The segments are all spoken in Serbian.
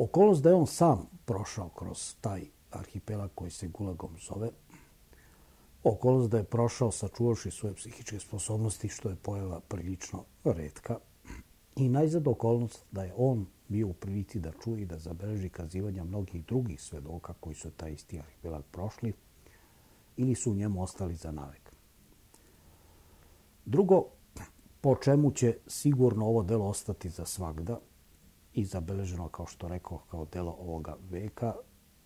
Okolnost da je on sam prošao kroz taj arhipelag koji se Gulagom zove, okolnost da je prošao sačuvavši svoje psihičke sposobnosti, što je pojava prilično retka, i najzad okolnost da je on bio u prilici da čuje i da zabeleži kazivanja mnogih drugih svedoka koji su taj isti arhipelag prošli ili su u njemu ostali za navek. Drugo, po čemu će sigurno ovo delo ostati za svagda i zabeleženo, kao što rekao, kao delo ovoga veka,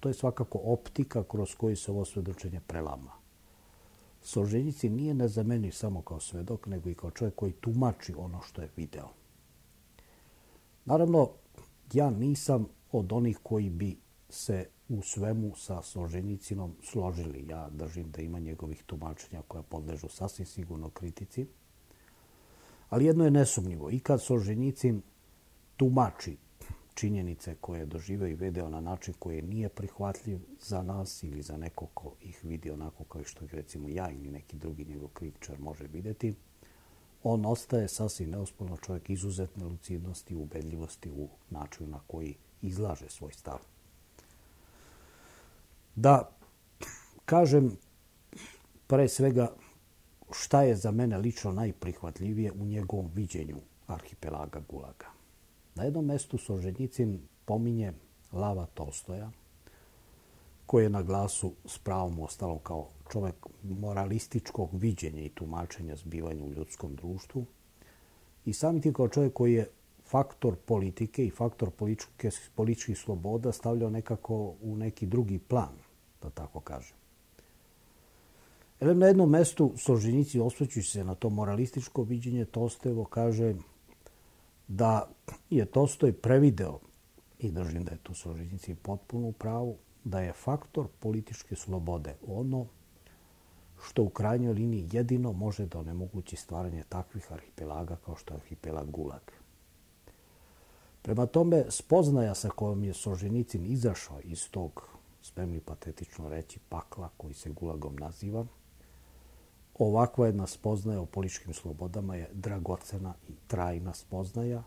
to je svakako optika kroz koju se ovo svedočenje prelama. Solženjicin nije nezamenljiv samo kao svedok, nego i kao čovjek koji tumači ono što je video. Naravno, ja nisam od onih koji bi se u svemu sa Solženjicinom složili. Ja držim da ima njegovih tumačenja koja podležu sasvim sigurno kritici. Ali jedno je nesumnjivo. I kad Solženjicin tumači činjenice koje je doživeo i video na način koji nije prihvatljiv za nas ili za neko ko ih vidi onako kao što ih recimo ja ili neki drugi njegov kritičar može vidjeti, on ostaje sasvim neosporno čovjek izuzetne lucidnosti i ubedljivosti u načinu na koji izlaže svoj stav. Da kažem pre svega šta je za mene lično najprihvatljivije u njegovom viđenju arhipelaga Gulaga. Na jednom mestu Solženjicin pominje Lava Tolstoja, koji je na glasu s pravom ostalo kao čovjek moralističkog viđenja i tumačenja zbivanja u ljudskom društvu i samim tim kao čovjek koji je faktor politike i faktor političkih sloboda stavljao nekako u neki drugi plan, da tako kažem. Na jednom mestu Solženjicin, osvrćući se na to moralističko viđenje Tolstojevo, kaže da je Tolstoj prevideo, i držim da je tu Solženjicin potpuno u pravu, da je faktor političke slobode ono što u krajnjoj liniji jedino može da onemogući stvaranje takvih arhipelaga kao što je arhipelag Gulag. Prema tome, spoznaja sa kojom je Solženjicin izašao iz tog, smem li patetično reći, pakla koji se Gulagom naziva, ovakva jedna spoznaja o političkim slobodama je dragocena i trajna spoznaja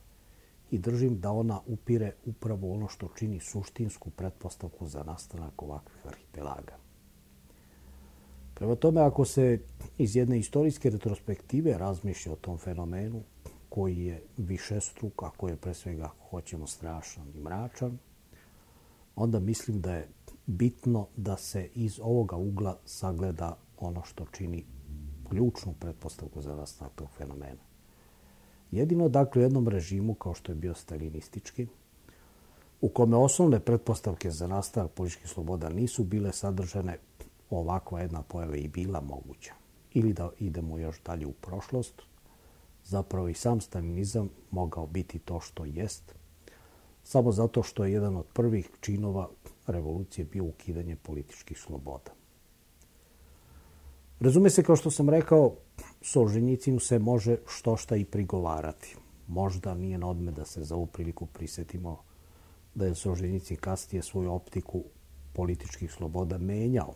i držim da ona upire upravo ono što čini suštinsku pretpostavku za nastanak ovakvih arhipelaga. Prema tome, ako se iz jedne istorijske retrospektive razmišlja o tom fenomenu koji je višestruk, a koji je pre svega, ako hoćemo, strašan i mračan, onda mislim da je bitno da se iz ovoga ugla sagleda ono što čini ključnu pretpostavku za nastanak tog fenomena. Jedino, dakle, u jednom režimu kao što je bio stalinistički, u kome osnovne pretpostavke za nastanak političkih sloboda nisu bile sadržane, ovakva jedna pojava i bila moguća. Ili da idemo još dalje u prošlost, zapravo i sam stalinizam mogao biti to što jest, samo zato što je jedan od prvih činova revolucije bio ukidanje političkih sloboda. Razume se, kao što sam rekao, Solženjicinu se može štošta i prigovarati. Možda nije na odmet da se za ovu priliku prisjetimo da je Solženjicin kasnije svoju optiku političkih sloboda menjao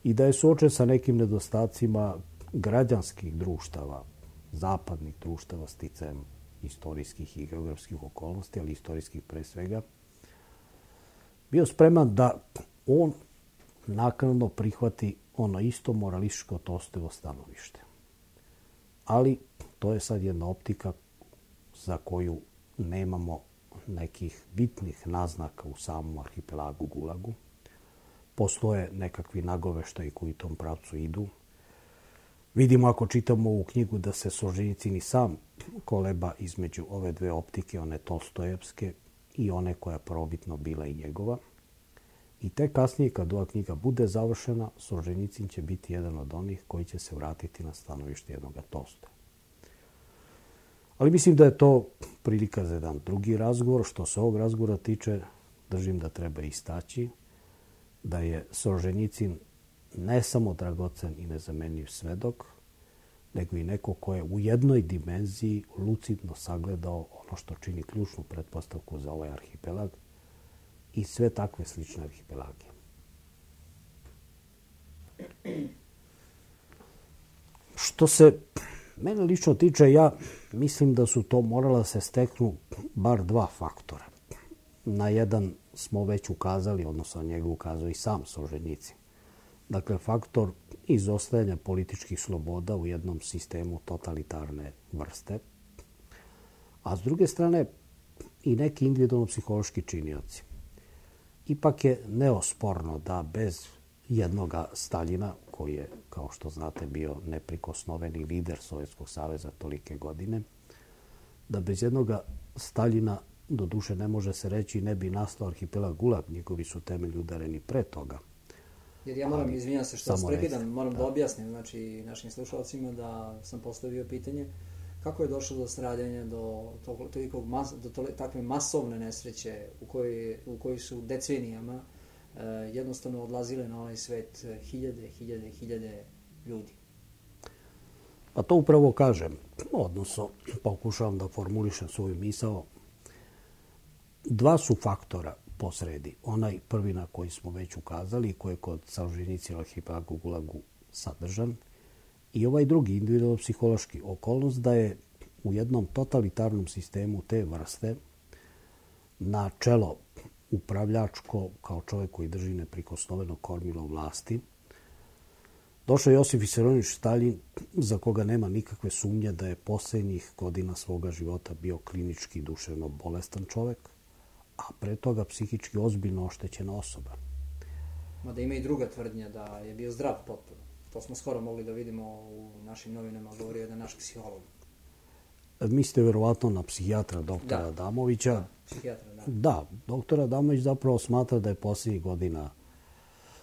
i da je suočen sa nekim nedostacima građanskih društava, zapadnih društava sticajem istorijskih i geografskih okolnosti, ali istorijskih pre svega, bio spreman da on naknadno prihvati ono isto moralističko Tolstojevo stanovište. Ali to je sad jedna optika za koju nemamo nekih bitnih naznaka u samom arhipelagu Gulagu. Postoje nekakvi nagoveštaji koji u tom pravcu idu. Vidimo, ako čitamo ovu knjigu, da se Solženjicin i sam koleba između ove dve optike, one tolstojevske i one koja je prvobitno bila i njegova. I tek kasnije, kad ova knjiga bude završena, Solženjicin će biti jedan od onih koji će se vratiti na stanovište jednoga Tolstoja. Ali mislim da je to prilika za jedan drugi razgovor. Što se ovog razgovora tiče, držim da treba istaći da je Solženjicin ne samo dragocen i nezamenljiv svedok, nego i neko ko je u jednoj dimenziji lucidno sagledao ono što čini ključnu pretpostavku za ovaj arhipelag i sve takve slične arhipelage. Što se mene lično tiče, ja mislim da su to morala se steknu bar dva faktora. na jedan smo već ukazali, odnosno na njega ukazao i sam Solženjicin. Dakle, faktor izostajanja političkih sloboda u jednom sistemu totalitarne vrste, a s druge strane i neki individualno-psihološki činioci. Ipak je neosporno da bez jednoga Staljina, koji je, kao što znate, bio neprikosnoveni lider Sovjetskog saveza tolike godine, da bez jednoga Staljina, do duše ne može se reći, ne bi nastao arhipelag Gulag, njegovi su temelji udareni pre toga. Jer ja moram, izvinjam se što vas prekidam, moram da objasnim znači, našim slušalcima da sam postavio pitanje kako je došlo do stradanja, do takve masovne nesreće u kojoj su decenijama jednostavno odlazile na ovaj svet hiljade ljudi. Pa to upravo kažem, odnosno pokušavam da formulišem svoju misao. Dva su faktora posredi. Onaj prvi na koji smo već ukazali, koji je kod Solženjicina arhipelaga u Gulagu sadržan, i ovaj drugi, individualno-psihološki, okolnost da je u jednom totalitarnom sistemu te vrste na čelo upravljačko, kao čovjek koji drži neprikosnoveno kormilo vlasti, došao Josif Visarionovič Staljin, za koga nema nikakve sumnje da je posljednjih godina svoga života bio klinički duševno bolestan čovjek, a pre toga psihički ozbiljno oštećena osoba. Mada ima i druga tvrdnja da je bio zdrav potpuno. To smo skoro mogli da vidimo u našim novinama, govorio jedan naš psiholog. Mislite verovatno na psihijatra doktora Adamovića. Da, psihijatra, da. Da, doktor Adamović zapravo smatra da je posljednjih godina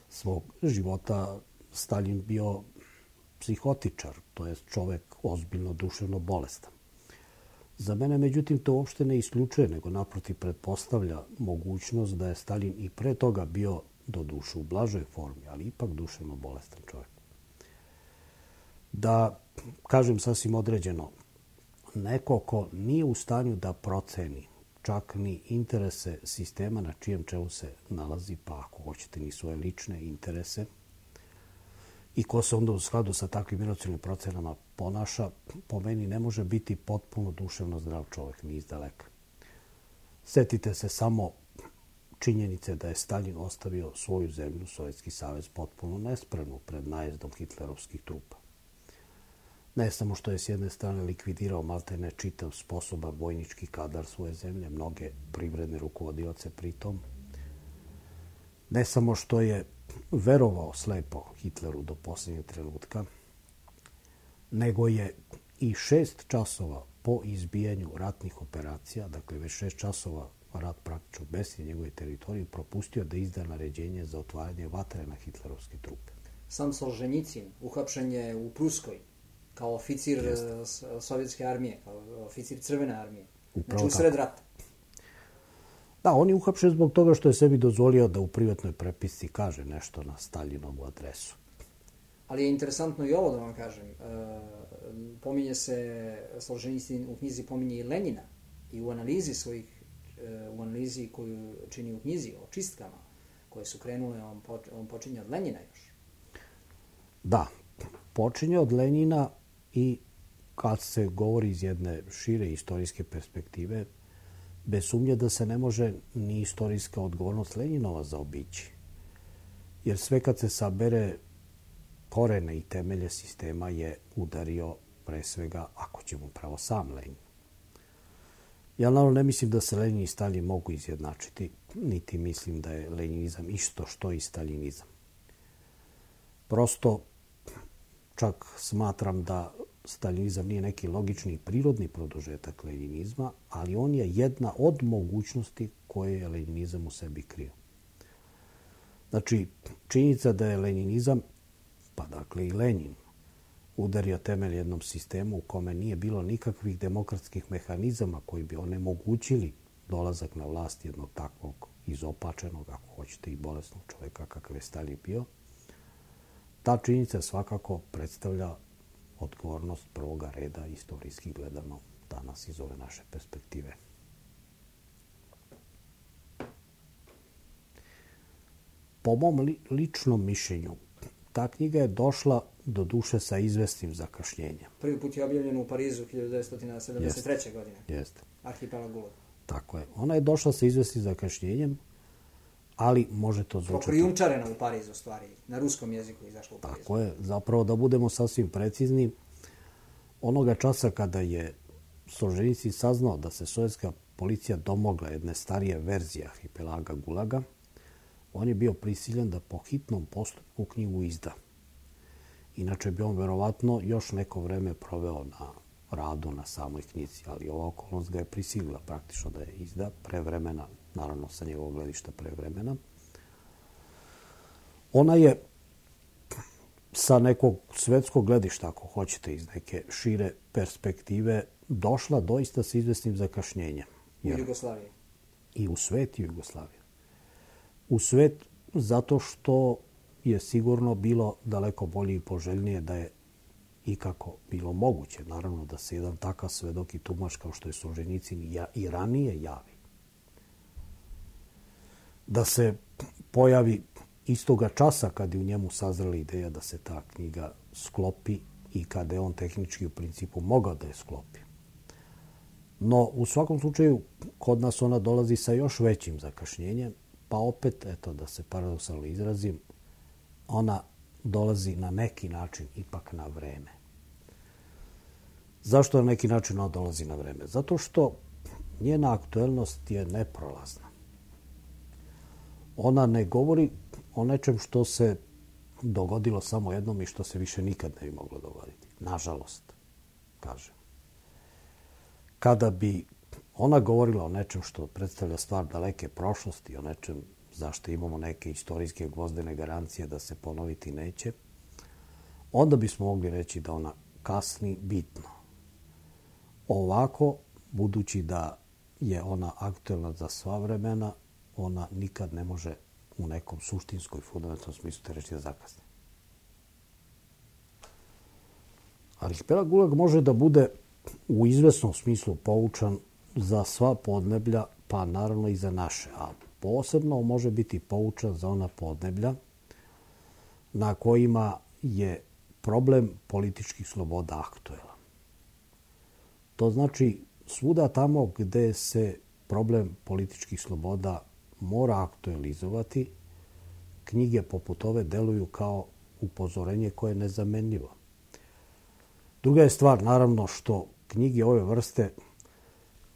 svog života Staljin bio psihotičar, to je čovjek ozbiljno duševno bolestan. Za mene, međutim, to uopšte ne isključuje, nego naprotiv pretpostavlja mogućnost da je Staljin i pre toga bio do duše u blažoj formi, ali ipak duševno bolestan čovjek. Da, kažem sasvim određeno, neko ko nije u stanju da proceni čak ni interese sistema na čijem čelu se nalazi, pa ako hoćete ni svoje lične interese, i ko se onda u skladu sa takvim emocionalnim procenama ponaša, po meni ne može biti potpuno duševno zdrav čovjek, ni izdaleka. Sjetite se samo činjenice da je Staljin ostavio svoju zemlju, Sovjetski savez, potpuno nespremnu pred najezdom hitlerovskih trupa. Ne samo što je s jedne strane likvidirao maltene čitav sposoban vojnički kadar svoje zemlje, mnoge privredne rukovodioce pritom, ne samo što je verovao slepo Hitleru do posljednjeg trenutka, nego je i 6 časova po izbijanju ratnih operacija, dakle već 6 časova rat praktično bez njegove teritorije, propustio da izda naređenje za otvaranje vatre na hitlerovske trupe. Sam Solženjicin uhapšen je u Pruskoj kao oficir sovjetske armije, kao oficir crvene armije. Znači u sred rata. Da, on je uhapšen zbog toga što je sebi dozvolio da u privatnoj prepisci kaže nešto na Staljinovu adresu. Ali je interesantno i ovo da vam kažem. Pominje se, Solženjicin u knjizi pominje i Lenjina i u analizi koju čini u knjizi o čistkama koje su krenule, on počinje od Lenjina još. Da, počinje od Lenjina i kad se govori iz jedne šire istorijske perspektive, bez sumnje da se ne može ni istorijska odgovornost Lenjinova zaobići. Jer sve kad se sabere, korene i temelje sistema je udario pre svega, ako ćemo pravo, sam Lenjin. Ja naravno ne mislim da se Lenjin i Staljin mogu izjednačiti, niti mislim da je lenjinizam isto što i staljinizam. Prosto čak smatram da staljinizam nije neki logični i prirodni produžetak lenjinizma, ali on je jedna od mogućnosti koje je lenjinizam u sebi krio. Znači, činjenica da je lenjinizam, pa dakle i Lenjin, udario temelj jednom sistemu u kome nije bilo nikakvih demokratskih mehanizama koji bi onemogućili dolazak na vlast jednog takvog izopačenog, ako hoćete i bolesnog čovjeka kakav je Staljin bio, ta činjenica svakako predstavlja odgovornost prvoga reda istorijski gledano danas iz ove naše perspektive. Po mom ličnom mišljenju, ta knjiga je došla do duše sa izvesnim zakašnjenjem. Prvi put je objavljen u Parizu 1973. godine. Jeste. Arhipelag Gulag. Tako je. Ona je došla sa izvesnim zakašnjenjem, ali može to zvučati... Pokrijumčarena u Parizu, stvari. Na ruskom jeziku izašla u Parizu. Tako je. Zapravo, da budemo sasvim precizni, onoga časa kada je Solženjicin saznao da se sovjetska policija domogla jedne starije verzije arhipelaga Gulaga, on je bio prisiljen da po hitnom postupku knjigu izda. Inače bi on verovatno još neko vreme proveo na radu na samoj knjizi, ali ova okolnost ga je prisilila praktično da je izda prevremena, naravno sa njegovog gledišta prevremena. Ona je sa nekog svetskog gledišta, ako hoćete, iz neke šire perspektive, došla doista sa izvesnim zakašnjenjem. U Jugoslaviji. I u svet i u Jugoslaviji. U svet zato što je sigurno bilo daleko bolje i poželjnije da je ikako bilo moguće. Naravno da se jedan takav svedok i tumač kao što je Solženjicin i ranije javi. Da se pojavi istoga časa kad je u njemu sazrela ideja da se ta knjiga sklopi i kada je on tehnički u principu mogao da je sklopi. No, u svakom slučaju, kod nas ona dolazi sa još većim zakašnjenjem, pa opet, eto, da se paradoksalno izrazim, ona dolazi na neki način ipak na vreme. Zašto na neki način ona dolazi na vreme? Zato što njena aktuelnost je neprolazna. Ona ne govori o nečem što se dogodilo samo jednom i što se više nikad ne bi moglo dogoditi. Nažalost, kažem. Kada bi ona govorila o nečem što predstavlja stvar daleke prošlosti, o nečem zašto imamo neke istorijske gvozdene garancije da se ponoviti neće, onda bismo mogli reći da ona kasni bitno. Ovako, budući da je ona aktuelna za sva vremena, ona nikad ne može u nekom suštinskoj, fundamentalnom smislu te reći da zakasni. Arhipelag Gulag može da bude u izvesnom smislu poučan za sva podneblja, pa naravno i za naše, a posebno može biti poučan za ona podneblja na kojima je problem političkih sloboda aktuelan. To znači svuda tamo gde se problem političkih sloboda mora aktualizovati, knjige poput ove deluju kao upozorenje koje je nezamenljivo. Druga je stvar, naravno, što knjige ove vrste,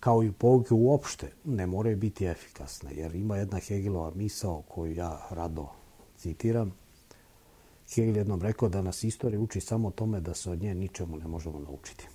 kao i pouke uopšte, ne moraju biti efikasne, jer ima jedna Hegelova misao koju ja rado citiram. Hegel jednom rekao da nas istorija uči samo tome da se od nje ničemu ne možemo naučiti.